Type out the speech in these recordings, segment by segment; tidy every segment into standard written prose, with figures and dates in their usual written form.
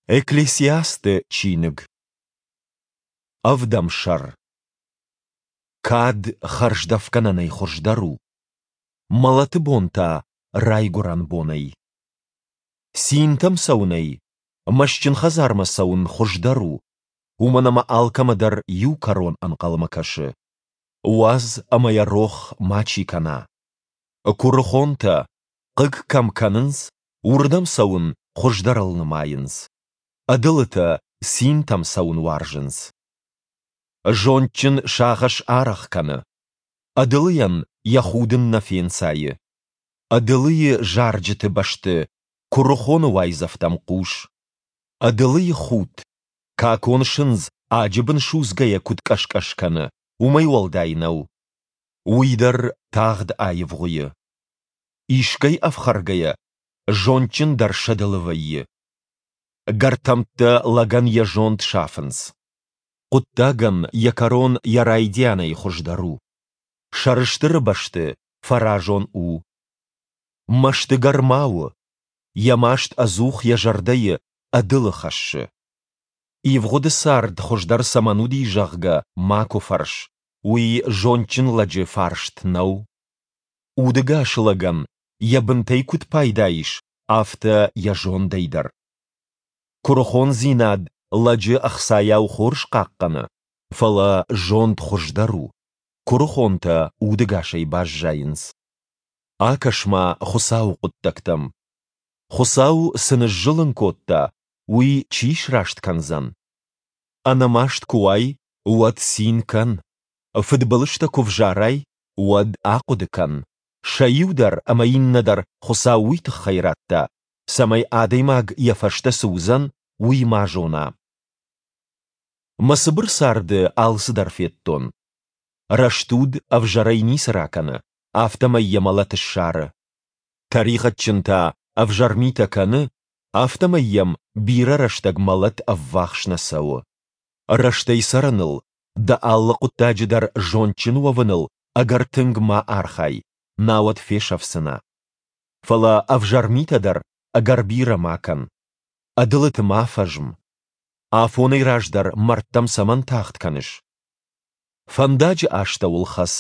Экклесиасты чиныг. Ӕвдӕм сӕр. Кад хӕрздӕфгӕнӕнӕй хуыздӕр у, мӕлӕты бон та райгуырӕн бонӕй. Цинтӕм цӕуынӕй мӕстджын хӕдзармӕ цӕуын хуыздӕр у, уымӕн ӕмӕ алкӕмӕ дӕр иу кӕрон ӕнхъӕлмӕ кӕсы. Уадз ӕмӕ йӕ рох мачи кӕна. Куырыхонтӕ, хъыг кӕм кӕнынц, уырдӕм цӕуын хуыздӕрыл нымайынц. Ӕдылытӕ цинтӕм цӕуын уарзынц. Зондджын сагъӕс арӕх кӕны. Ӕдылыйӕн йӕ худын нӕ фенцайы. Ӕдылыйы зарджыты бӕсты куырыхоны уайдзӕфтӕм хъус. Ӕдылыйы худт, какон сындз аджы бын судзгӕйӕ куыд къӕс-къӕс кӕны, уымӕй уӕлдай нӕу. Уый дӕр тагъд аивгъуыйы. Искӕй ӕфхӕргӕйӕ, зондджын дӕр сӕдылы вӕййы. Гӕртӕмттӕ лӕгӕн йӕ зонд сафынц. Хъуыддагӕн йӕ кӕрон йӕ райдианӕй хуыздӕр у. Сӕрыстыры бӕсты фӕразон у. Мӕстыгӕр ма у, йӕ маст ӕдзух йӕ зӕрдӕйы ӕдылы хӕссы. Ивгъуыды цард хуыздӕр цӕмӕн уыди, зӕгъгӕ, макуы фӕрс, уый зондджын лӕджы фарст нӕу. Удӕгас лӕгӕн йӕ бынтӕй куыд пайда ис, афтӕ йӕ зондӕй дӕр. Куырыхондзинад лӕджы ӕхцайау хорз хъахъхъӕны, фӕлӕ зонд хуыздӕр у, куырыхонтӕ удӕгасӕй баззайынц. Акӕс-ма Хуыцауы хъуыддӕгтӕм. Хуыцау цы ныззылын кодта, уый чи сраст кӕндзӕн? Ӕнӕмаст куы уай, уӕд цин кӕн. Фыдбылызтӕ куы взарай, уӕд ахъуыды кӕн, сӕ иу дӕр ӕмӕ иннӕ дӕр Хуыцау уый тыххӕй радта, цӕмӕй адӕймаг йӕ фӕстӕ цы уыдзӕн, уый ма зона. Мӕ цыбыр царды алцыдӕр федтон. Рӕстуд ӕвзӕрӕй ницы ракӕны, афтӕмӕй йӕ мӕлӕт ссары. Тӕригъӕдджын та ӕвзӕр митӕ кӕны, афтӕмӕй йӕм бирӕ рӕстӕг мӕлӕт ӕввахс нӕ цӕуы. Рӕстӕй цӕрыныл, дӕ алы хъуыддаджы дӕр зондджын уӕвыныл ӕгӕр тынг ма архай, науӕд фесӕфдзынӕ. Фӕлӕ ӕвзӕр митӕ дӕр ӕгӕр бирӕ ма кӕн. Ӕдылыты ма фӕзм. Афонӕй раздӕр мӕрдтӕм цӕмӕн тагъд кӕныс? Фӕндаджы астӕуыл хӕц.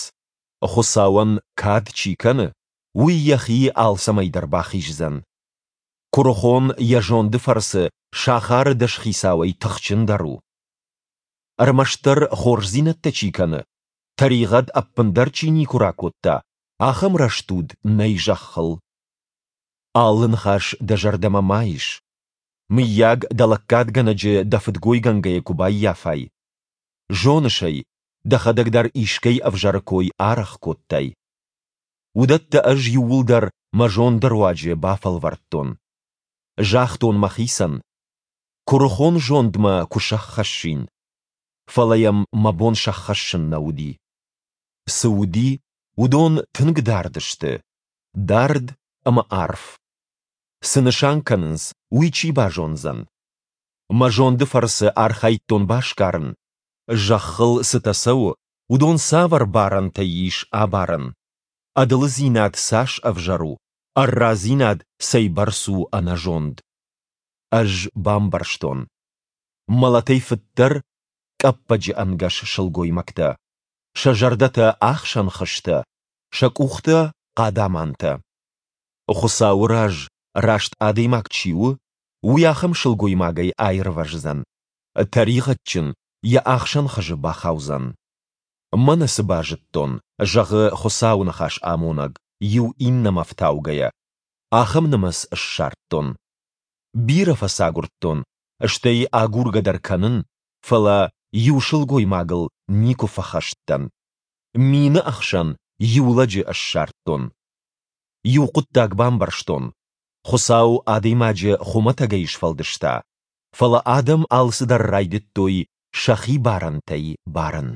Хуыцауӕн кад чи кӕны, уый йӕхи алцӕмӕй дӕр бахиздзӕн. Куырыхон йӕ зонды фӕрцы сахары дӕсхицауӕй тыхджындӕр у. Ӕрмӕстдӕр хорздзинӕдтӕ чи кӕны, тӕригъӕд ӕппындӕр чи никуы ракодта, ахӕм рӕстуд нӕй зӕххыл. Алы ныхас дӕ зӕрдӕмӕ ма ис. Мыййаг, дӕ лӕггадгӕнӕджы дӕ фыдгойгӕнгӕйӕ куы баййафай. Зоныс ӕй, дӕхӕдӕг дӕр искӕй ӕвзӕры кой арӕх кодтай. Уыдӕттӕ ӕз иууылдӕр мӕ зонды руаджы бафӕлвӕрдтон. Загътон мӕхицӕн, куырыхон зондмӕ куы сӕххӕссин. Фӕлӕ йӕм мӕ бон сӕххӕссын нӕ уыди. Цы уыди, уыдон тынг дард сты, дард ӕмӕ арф. Цы нысан кӕнынц, уый чи базондзӕн? Мӕ зонды фӕрцы архайдтон басгарын, зӕххыл цытӕ цӕуы, уыдон цавӕр барӕнтӕй ис абарӕн? Ӕдылыдзинад цас ӕвзӕр у, ӕррадзинад цӕйбӕрц у ӕнӕзонд? Ӕз бамбӕрстон. Мӕлӕтӕй фыддӕр къӕппӕджы ӕнгӕс сылгоймӕгтӕ. Сӕ зӕрдӕтӕ ӕхсӕн хызтӕ, сӕ къухтӕ хъадамантӕ. Хуыцауы раз раст адӕймаг чи у, уый ахӕм сылгоймагӕй аирвӕздзӕн. Тӕригъӕдджын йӕ ахсӕн хызы бахаудзӕн. Мӕнӕ цы базыдтон, зӕгъы Хуыцауы ныхас амонӕг, иу иннӕмӕ фтаугӕйӕ, ахӕм нымӕц ссардтон. Бирӕ фӕцагуырдтон, стӕй агургӕ дӕр кӕнын, фӕлӕ иу сылгоймагыл никуы фӕхӕст дӕн. Мины ӕхсӕн иу лӕджы ссардтон. Иу хъуыддаг бамбӕрстон, Хуыцау адӕймаджы хуымӕтӕгӕй сфӕлдыста, фӕлӕ адӕм алцыдӕр райдыдтой сӕхи барӕнтӕй барын.